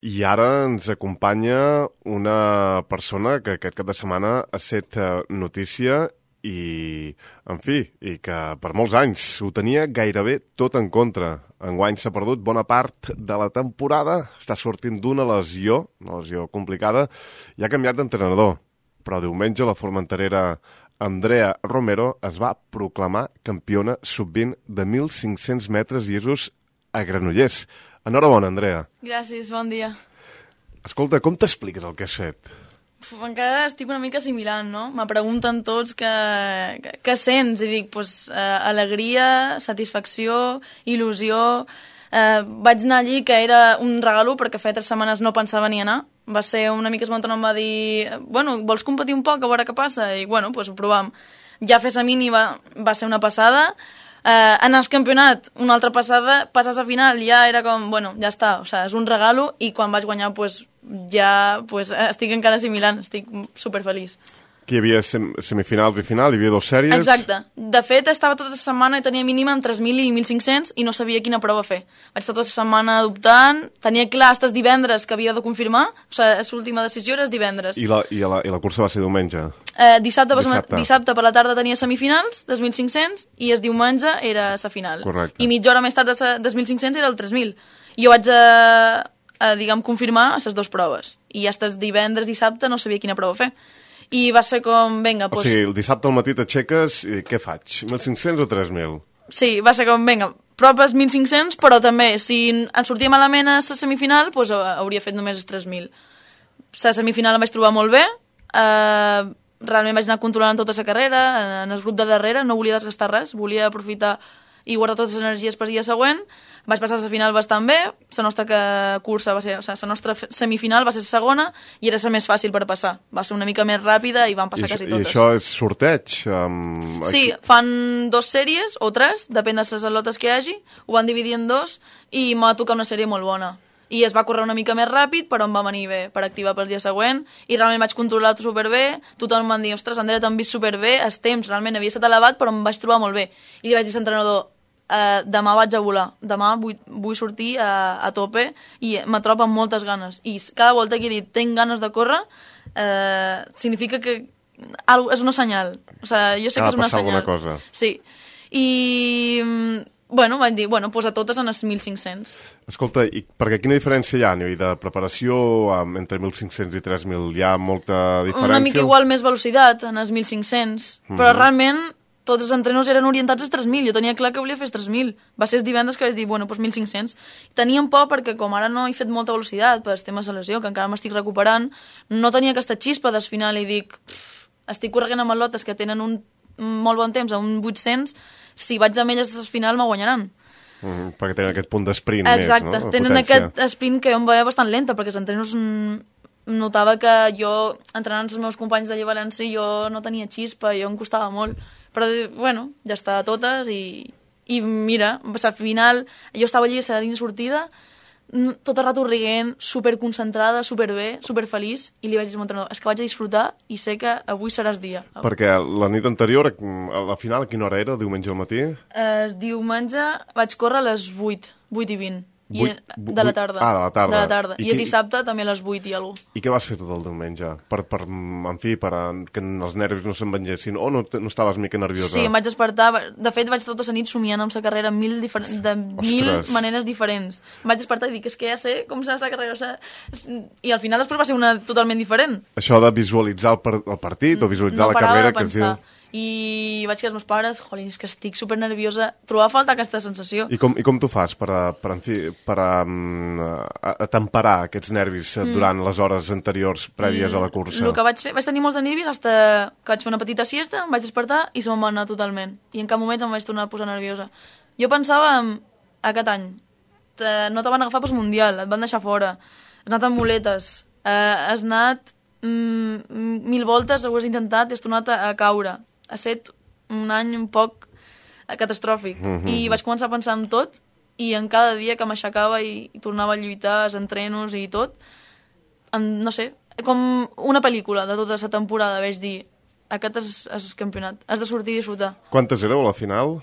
I ara ens acompanya una persona que aquest cap de setmana ha set notícia i, en fi, i que per molts anys ho tenia gairebé tot en contra. Enguany s'ha perdut bona part de la temporada, està sortint d'una lesió, una lesió complicada, i ha canviat d'entrenador. Però diumenge la formenterera Andrea Romero es va proclamar campiona sub-20 de 1.500 metres llisos a Granollers. Enhorabona, Andrea. Gràcies, bon dia. Escolta, com t'expliques el que has fet? Encara estic una mica assimilant, no? Me pregunten tots què sents, i dic, alegria, satisfacció, il·lusió. Vaig anar allí, que era un regalo, perquè feia 3 setmanes no pensava ni anar. Va ser una mica esmontant, em va dir, bueno, vols competir un poc, a veure què passa? I, bueno, doncs ho provam. Ja fer mini va ser una passada. Anar al campionat, una altra passada, passar a final, ja era com, bueno, ja està, o sigui, és un regalo, i quan vaig guanyar, estic encara assimilant, estic superfeliç. Que hi havia semifinals i final, hi havia 2 sèries... Exacte. De fet, estava tota la setmana i tenia mínima en 3.000 i 1.500 i no sabia quina prova fer. Vaig estar tota la setmana dubtant, tenia clar estes divendres que havia de confirmar, o sigui, l'última decisió era divendres. I la cursa va ser diumenge? Dissabte per la tarda tenia semifinals, dels 1.500, i el diumenge era la final. Correcte. I mitja hora més tard dels 1.500 era el 3.000. I jo vaig diguem, confirmar les 2 proves. I fins divendres, dissabte, no sabia quina prova fer. I va ser com, vinga, doncs... O sigui, el dissabte al matí t'aixeques i què faig? 1.500 o 3.000? Sí, va ser com, vinga, proves 1.500, però també, si em sortia malament a la semifinal, doncs hauria fet només els 3.000. La semifinal em vaig trobar molt bé, realment vaig anar controlant tota la carrera, en el grup de darrere, no volia desgastar res, volia aprofitar i guardar totes les energies per dia següent. Vaig passar a la final bastant bé, la nostra cursa va ser, o sigui, la nostra semifinal va ser la segona i era la més fàcil per passar. Va ser una mica més ràpida i van passar quasi totes. I això és sorteig? Sí, fan 2 sèries o 3, depèn de les al·lotes que hi hagi, ho van dividir en 2 i m'ha tocat una sèrie molt bona. I es va córrer una mica més ràpid, però em va venir bé per activar pel dia següent, i realment vaig controlar superbé, tothom em va dir, ostres, Andrea, t'han vist superbé, el temps realment havia estat elevat, però em vaig trobar molt bé. I li vaig dir a l'entrenador, demà vaig a volar, demà vull sortir a tope, i me trobo amb moltes ganes. I cada volta que he dit, tinc ganes de córrer, significa que és una senyal. O sigui, jo sé que és una senyal. Cosa. Sí. I... Bueno, vaig dir, doncs a totes en els 1.500. Escolta, i perquè quina diferència hi ha a nivell de preparació entre 1.500 i 3.000? Hi ha molta diferència? Una mica igual més velocitat en els 1.500, però realment tots els entrenos eren orientats als 3.000. Jo tenia clar que volia fer els 3.000. Va ser els divendres que vaig dir, bueno, doncs 1.500. Teníem por perquè com ara no he fet molta velocitat per temes de lesió, que encara m'estic recuperant, no tenia aquesta xispa del final i dic, estic corregant amb atletes que tenen un molt bon temps, a un 800, si vaig amb elles al final me guanyaran. Perquè tenen aquest punt d'esprint més, no? Exacte, tenen potència. aquest esprint que jo em veia bastant lenta, perquè els entrenos notava que jo, entrenant els meus companys d'allà a València, jo no tenia xispa, jo em costava molt. Però, bueno, ja està a totes i mira, al final, jo estava allà a la línia sortida, tot el rato riguent, superconcentrada, superbé, superfeliç, i li vaig dir al meu entrenador, és que vaig a disfrutar i sé que avui seràs dia. Perquè la nit anterior, a la final, a quina hora era, diumenge al matí? Diumenge vaig córrer a les 8 i 20. De la tarda. Ah, de la tarda. De la tarda. I el dissabte també a les 8 i alguna cosa. I què vas fer tot el diumenge? En fi, per que els nervis no se'n vengessin? O no estaves mica nerviosa? Sí, em vaig despertar. De fet, vaig tota la nit somiant amb la carrera de mil maneres diferents. Em vaig despertar i dic, és que ja sé com serà la carrera. I al final després va ser una totalment diferent. Això de visualitzar el partit o visualitzar la carrera que es diu... I vaig dir als meus pares, jolín, és que estic supernerviosa, trobava a falta aquesta sensació. I com t'ho fas per temperar aquests nervis durant les hores anteriors prèvies a la cursa? El que vaig tenir molts de nervis fins que vaig fer una petita siesta, em vaig despertar i se'm va anar totalment. I en cap moment em vaig tornar a posar nerviosa. Jo pensava aquest any, no te van agafar pel Mundial, et van deixar fora, has anat amb muletes, has anat 1.000 voltes, ho has intentat i has tornat a caure. Ha estat un any un poc catastròfic. I vaig començar a pensar en tot, i en cada dia que m'aixecava i tornava a lluitar, els entrenos i tot, no sé, com una pel·lícula de tota la temporada, vaig dir, aquest és el campionat, has de sortir i disfrutar. Quantes éreu a la final?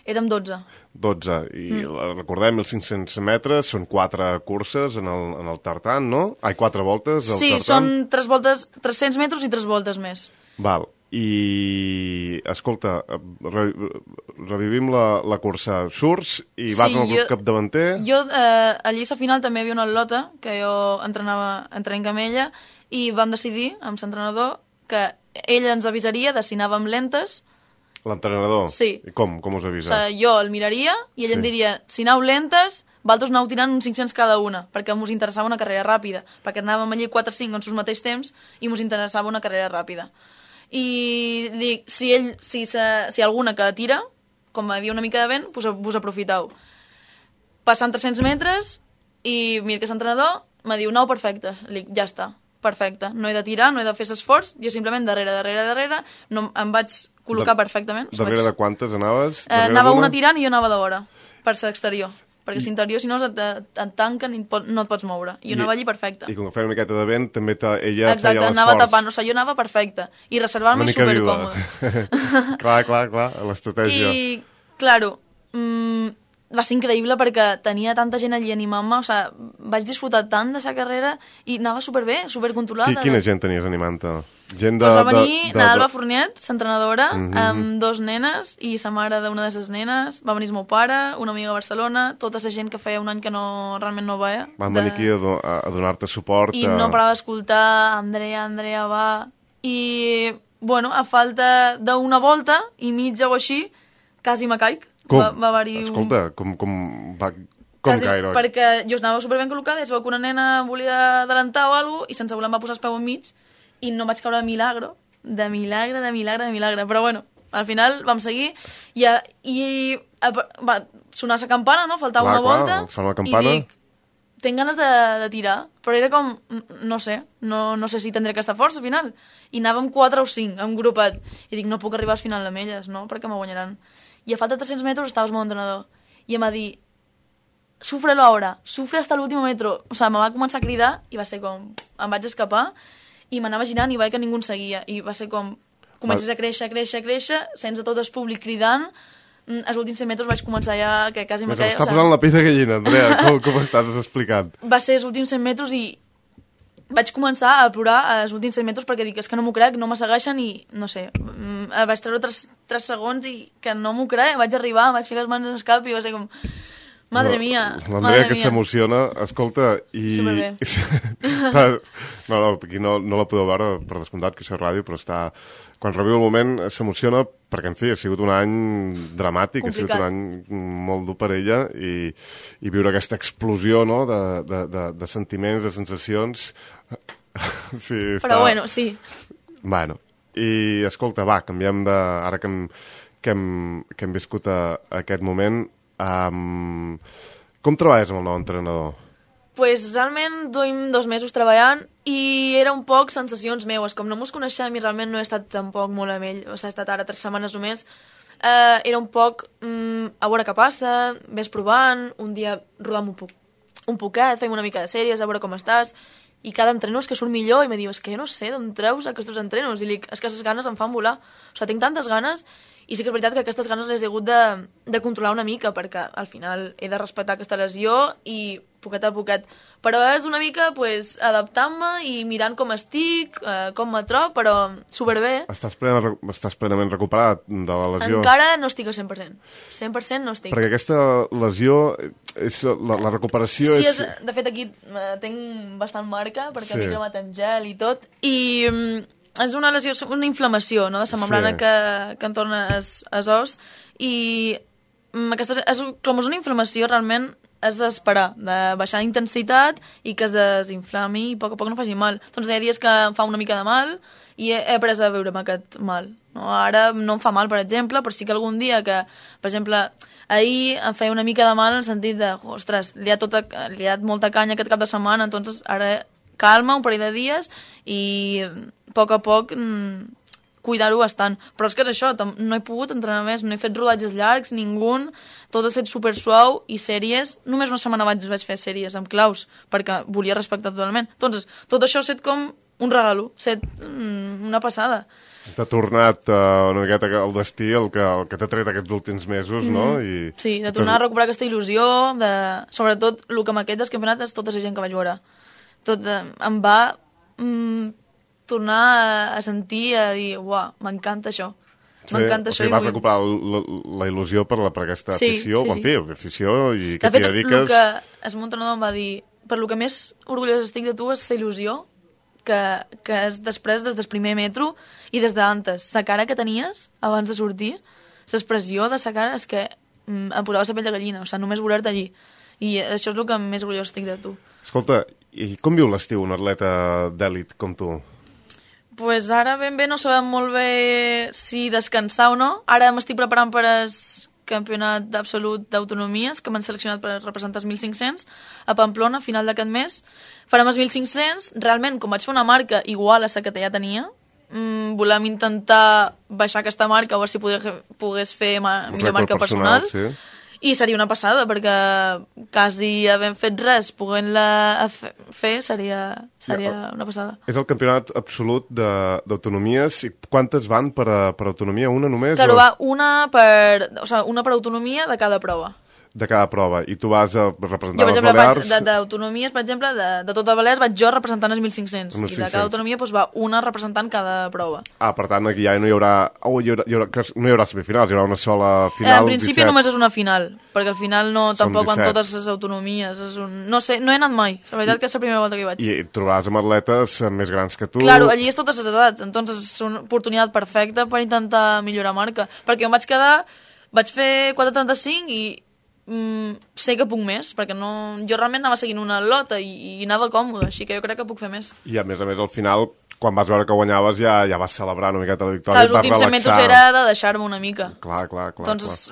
Érem 12. 12. I recordem, 1.500 metres, són 4 curses en el tartan, no? 4 voltes al tartan. Sí, són 3 voltes, 300 metres i 3 voltes més. Val. I, escolta, revivim la cursa. Surts i vas al capdavanter? Jo, a lliça final també hi havia una al·lota, que jo entrenem amb ella, i vam decidir, amb l'entrenador, que ella ens avisaria de si anàvem lentes. L'entrenador? Sí. I com us avisa? O sigui, jo el miraria i ell em diria, si aneu lentes, vosaltres aneu tirant uns 500 cada una, perquè ens interessava una carrera ràpida, perquè anàvem allí 4-5 en sus mateix temps i ens interessava una carrera ràpida. I dic, si alguna que tira, com hi havia una mica de vent, vos aprofiteu. Passant 300 metres i mira que l'entrenador me diu, no, perfecte. Dic, ja està, perfecte. No he de tirar, no he de fer l'esforç, jo simplement darrere, no, em vaig col·locar perfectament. Darrere de quantes anaves? Anava una tirant i jo anava de vora, per l'exterior. Perquè si interior, si no, et tanquen i no et pots moure. I jo anava allí perfecte. I com que feia una miqueta de vent, també ella feia l'esforç. Exacte, anava tapant, o sigui, jo anava perfecte. I reservar-me supercòmode. Clar, l'estratègia. I, claro, va ser increïble perquè tenia tanta gent allí animant-me, o sigui, vaig disfrutar tant de la carrera i anava superbé, supercontrolada. Quina gent tenies animant-te? Gent va venir Nadalba Fourniet, l'entrenadora, amb 2 nenes i sa mare d'una de les nenes, va venir el meu pare, una amiga a Barcelona, tota la gent que feia un any que realment no veia. Van venir aquí a donar-te suport. I no parava d'escoltar, Andrea, va... I, bueno, a falta d'una volta i mitja o així, quasi me caic. Com? Va haver-hi Escolta, com gaire? Perquè jo anava superben col·locada i es veu que una nena volia adelantar o alguna cosa i sense voler em va posar el peu enmig i no vaig caure de milagre. Però bueno, al final vam seguir i va sonar la campana, no? Faltava una volta sona la campana. I dic, tinc ganes de tirar, però era com, no sé si tindré aquesta força al final. I anàvem 4 o 5 en grupet i dic, no puc arribar al final amb elles, no? Perquè me guanyaran. I a falta de 300 metres estava el meu entrenador i em va dir, sufre ahora, sufre hasta l'últim metro. O sigui, me va començar a cridar i va ser com, em vaig escapar i m'anava girant i vaig que ningú em seguia i va ser com, comences a créixer sense tot el públic cridant. Els últims 100 metres vaig començar ja que quasi me caia. M'està posant la pell de gallina, Andrea, com estàs explicant? Va ser els últims 100 metres i vaig començar a plorar als últims 100 metres perquè dic, és que no m'ho crec, no me segueixen i no sé, vaig treure 3 segons i que no m'ho crec, vaig arribar, vaig ficar les mans en el cap i va ser com... Madre mía. L'Andrea que s'emociona, escolta, i... Superbé. No, aquí no la podeu veure, per descomptat, que això és ràdio, però està... Quan reviu el moment s'emociona perquè, en fi, ha sigut un any dramàtic, complicat. Ha sigut un any molt dur per ella i viure aquesta explosió, no?, de sentiments, de sensacions... Sí, està... Però bueno, sí. Bueno, i escolta, va, canviem de... Ara que hem viscut aquest moment... Com treballes amb el nou entrenador? Pues realment duim 2 mesos treballant i era un poc sensacions meues, com no mos coneixem i realment no he estat tampoc molt amb ell, o sigui, he estat ara 3 setmanes només, era un poc a veure què passa, ves provant, un dia rodam un poquet, fem una mica de sèries, a veure com estàs, i cada entreno és que surt millor i me diu, és que jo no sé d'on treus aquests entrenos, i dic, és que les ganes em fan volar, o sigui, tinc tantes ganes. I sí que és veritat que aquestes ganes les he hagut de controlar una mica, perquè al final he de respectar aquesta lesió i poquet a poquet. Però és una mica pues, adaptant-me i mirant com estic, com me trobo, però superbé. Estàs plenament recuperat de la lesió? Encara no estic al 100%. 100% no estic. Perquè aquesta lesió, la recuperació sí, és... De fet, aquí tinc bastant marca, perquè m'he cremat amb gel i tot, i... és una lesió, una inflamació, no?, de la membrana que entorna els os i aquesta, com és una inflamació realment és d'esperar, de baixar intensitat i que es desinflami i a poc no faci mal. Doncs hi ha dies que em fa una mica de mal i he après a viure amb aquest mal. No? Ara no em fa mal, per exemple, però sí que algun dia que, per exemple, ahir em feia una mica de mal en el sentit de, ostres, li ha molta canya aquest cap de setmana, doncs ara calma un parell de dies i a poc cuidar-ho bastant. Però és que és això, no he pogut entrenar més, no he fet rodatges llargs, ningú, tot ha estat super suau i sèries, només una setmana vaig fer sèries amb claus, perquè volia respectar totalment. Doncs tot això ha estat com un regalo, una passada. T'ha tornat una miqueta el destí, el que t'ha tret aquests últims mesos, no? Sí, de tornar a recuperar aquesta il·lusió, sobretot el que amb aquest campionat és tota la gent que vaig veure. Em va tornar a sentir, a dir, uah, m'encanta això. M'encanta això. Vas recuperar la il·lusió per aquesta afició, en fi, afició i que t'hi dediques... De fet, el que el meu entrenador em va dir, per lo que més orgullós estic de tu és la il·lusió que és després des del primer metro i des d'antes. La cara que tenies abans de sortir, l'expressió de la cara és que em posava la pell de gallina, o sigui, només voler-te allí. I això és el que més orgullós estic de tu. Escolta, i com viu l'estiu un atleta d'èlit com tu? Pues ara ben bé no sabem molt bé si descansar o no. Ara m'estic preparant per al campionat d'absolut d'autonomies, que m'han seleccionat per representar els 1.500 a Pamplona, a final d'aquest mes. Farem els 1.500. Realment, com vaig fer una marca igual a la que ja tenia, volem intentar baixar aquesta marca, a veure si pogués fer millor marca personal. Sí. I seria una passada, perquè quasi havent fet res, podent-la fer, seria una passada. És el campionat absolut d'autonomies. I quantes van per autonomia? Una només? Claro, va una per autonomia de cada prova. De cada prova. I tu vas a representar les Balears... D'autonomies, per exemple, de tot el Balears vaig jo representant els 1.500. I de cada autonomia va una representant cada prova. Per tant, aquí ja no hi haurà... no hi haurà semifinals, hi haurà una sola final. En principi 17. Només és una final, perquè al final tampoc van totes les autonomies. No sé, no he anat mai. La veritat que és la primera volta que hi vaig. I et trobaràs amb atletes més grans que tu. Claro, allí és totes les edats, entonces és una oportunitat perfecta per intentar millorar marca. Perquè em vaig fer 4.35 i sé que puc més, perquè jo realment anava seguint una lota i anava còmode, així que jo crec que puc fer més. I a més, al final, quan vas veure que guanyaves ja vas celebrar una miqueta la victòria. Clar, els últims 100 metres era de deixar-me una mica. Clar. Doncs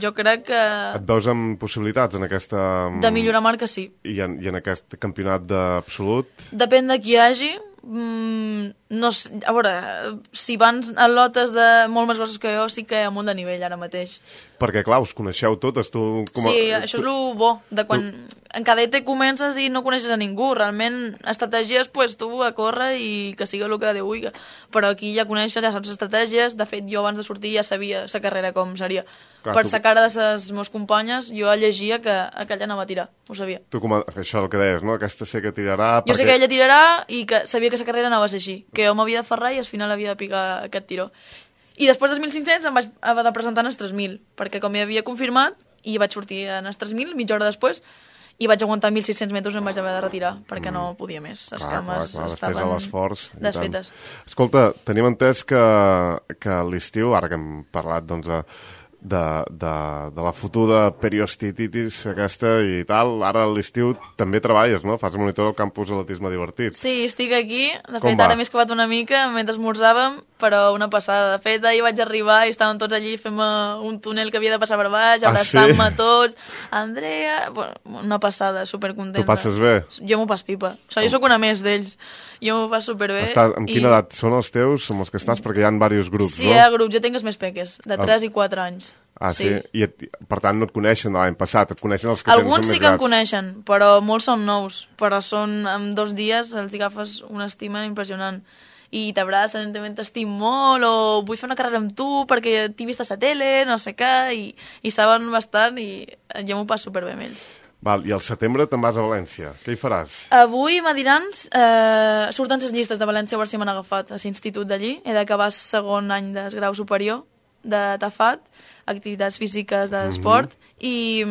jo crec que... Et veus amb possibilitats en aquesta... De millorar marca, sí. I en aquest campionat d'absolut? Depèn de qui hi hagi. No sé, a veure, si van a lotes de molt més grosses que jo, sí que hi ha molt de nivell ara mateix. Perquè, clar, us coneixeu totes, tu... Sí, això és el bo, de quan en cadete comences i no coneixes a ningú. Realment, estratègies, pues, tu a córrer i que sigui el que Déu vulgui. Però aquí ja coneixes, ja saps estratègies. De fet, jo abans de sortir ja sabia la carrera com seria. Clar, per la cara de les meves companyes, jo llegia que aquella anava a tirar, ho sabia. Això és el que deies, no? Aquesta sé que tirarà... Jo sé que ella tirarà i que sabia que la carrera anava a ser així, que jo m'havia de ferrar i al final havia de picar aquest tiró. I després dels 1.500 em vaig haver de presentar en els 3.000, perquè com ja havia confirmat, i vaig sortir en els 3.000, mitja hora després, i vaig aguantar 1.600 metres i em vaig haver de retirar, perquè no podia més. Les cames estaven desfetes. Escolta, tenim entès que l'estiu, ara que hem parlat, doncs, de la futura periostitis aquesta i tal, ara a l'estiu també treballes, no? Fas monitor al campus atletisme divertit. Sí, estic aquí. De fet, ara m'he escapat una mica mentre esmorzàvem, però una passada. De fet, ahir vaig arribar i estàvem tots allí fent un túnel que havia de passar per baix, abraçant-me tots. Andrea... Una passada, supercontenta. Tu passes bé? Jo m'ho pas pipa. O sigui, jo sóc una més d'ells. Jo m'ho passo superbé. Amb quina edat són els teus, amb els que estàs? Perquè hi ha diversos grups, no? Sí, hi ha grups. Jo tinc els més peques, de 3 i 4 anys. Ah, sí? I per tant no et coneixen l'any passat, et coneixen els que tens més grans. Alguns sí que em coneixen, però molts són nous. Però en 2 dies els agafes una estima impressionant. I t'abracen, t'estim molt, o vull fer una carrera amb tu perquè t'he vist a la tele, no sé què, i saben bastant i jo m'ho passo superbé amb ells. Val, i al setembre te'n vas a València. Què hi faràs? Avui m'adiran, surten les llistes de València a veure si m'han agafat a l'institut d'allí. He d'acabar el segon any de grau superior de TAFAT, activitats físiques d'esport, i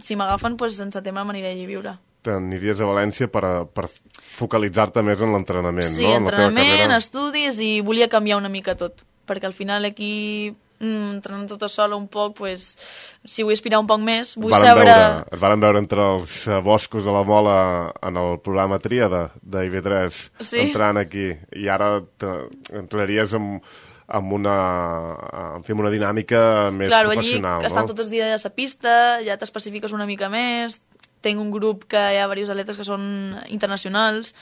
si m'agafen, doncs en setembre m'aniré allí a viure. T'aniries a València per focalitzar-te més en l'entrenament, no? Sí, entrenament, estudis, i volia canviar una mica tot, perquè al final aquí... entrenant tota sola un poc, pues, si vull aspirar un poc més, vull saber... Es varen veure entre els boscos de la Mola en el programa Tríada d'IV3, entrant aquí, i ara entraries amb una dinàmica més professional. Allí estan tots els dies a la pista, ja t'especifiques una mica més, tinc un grup que hi ha diversos atletes que són internacionals,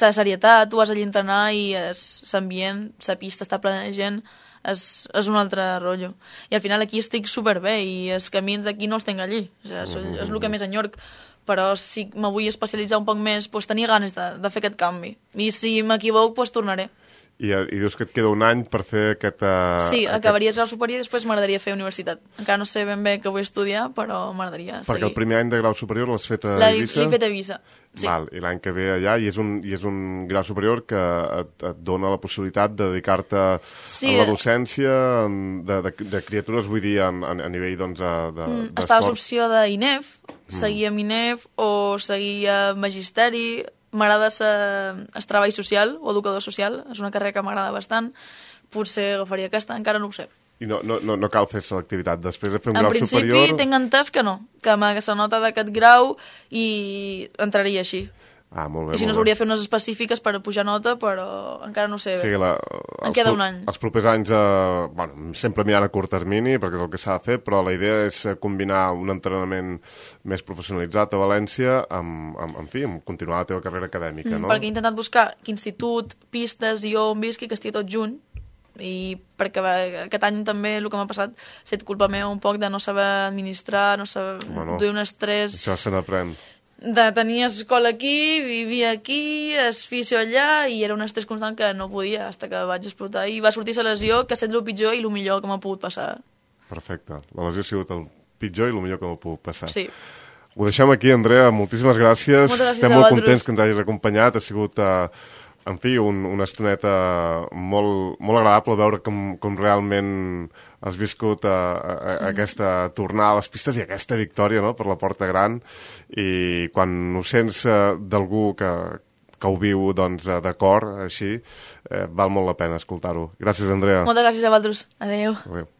la serietat, tu vas allí a entrenar i l'ambient, la pista està plena de gent, és un altre rotllo. I al final aquí estic superbé i els camins d'aquí no els tinc allí. O sigui, és el que més enyorc. però si me vull especialitzar un poc més, doncs tenia ganes de fer aquest canvi. I si m'equivoco, doncs tornaré. I dius que et queda un any per fer aquest... Sí, acabaries grau superior i després m'agradaria fer universitat. Encara no sé ben bé què vull estudiar, però m'agradaria seguir. Perquè el primer any de grau superior l'has fet a Eivissa? L'he fet a Eivissa, sí. Val, i l'any que ve allà, i és un grau superior que et dona la possibilitat de dedicar-te a la docència de criatures, vull dir, a nivell d'esport. Estava l'opció d'INEF, seguir amb INEF o seguir a Magisteri. M'agrada ser treball social o educador social, és una carrera que m'agrada bastant. Potser agafaria aquesta, encara no ho sé. I no cal fer selectivitat després de fer un grau superior? En principi tinc entès que no, que m'hagués nota d'aquest grau i entraria així. Ah, molt bé, I si no s'hauria de fer unes específiques per pujar nota, però encara no sé bé. Em queda un any. Els propers anys, sempre mirant a curt termini, perquè és el que s'ha de fer, però la idea és combinar un entrenament més professionalitzat a València amb continuar la teva carrera acadèmica, no? Perquè he intentat buscar institut, pistes i on visqui, que estigui tot junt, i perquè aquest any també el que m'ha passat ha estat culpa meva un poc de no saber administrar, no saber duir un estrès. Això se n'aprèn. De tenir escola aquí, vivia aquí, fisio allà, i era un estrès constant que no podia, fins que vaig explotar. I va sortir la lesió, que ha estat el pitjor i el millor que m'ha pogut passar. Perfecte. La lesió ha sigut el pitjor i el millor que m'ha pogut passar. Sí. Ho deixem aquí, Andrea. Moltíssimes gràcies. Moltes gràcies. Estem molt contents que ens hagis acompanyat. Ha sigut, en fi, una estoneta molt agradable veure com realment has viscut aquesta tornada a les pistes i aquesta victòria, no?, per la Porta Gran, i quan ho sents d'algú que ho viu de cor, així, val molt la pena escoltar-ho. Gràcies, Andrea. Moltes gràcies a vosaltres. Adéu. Adéu.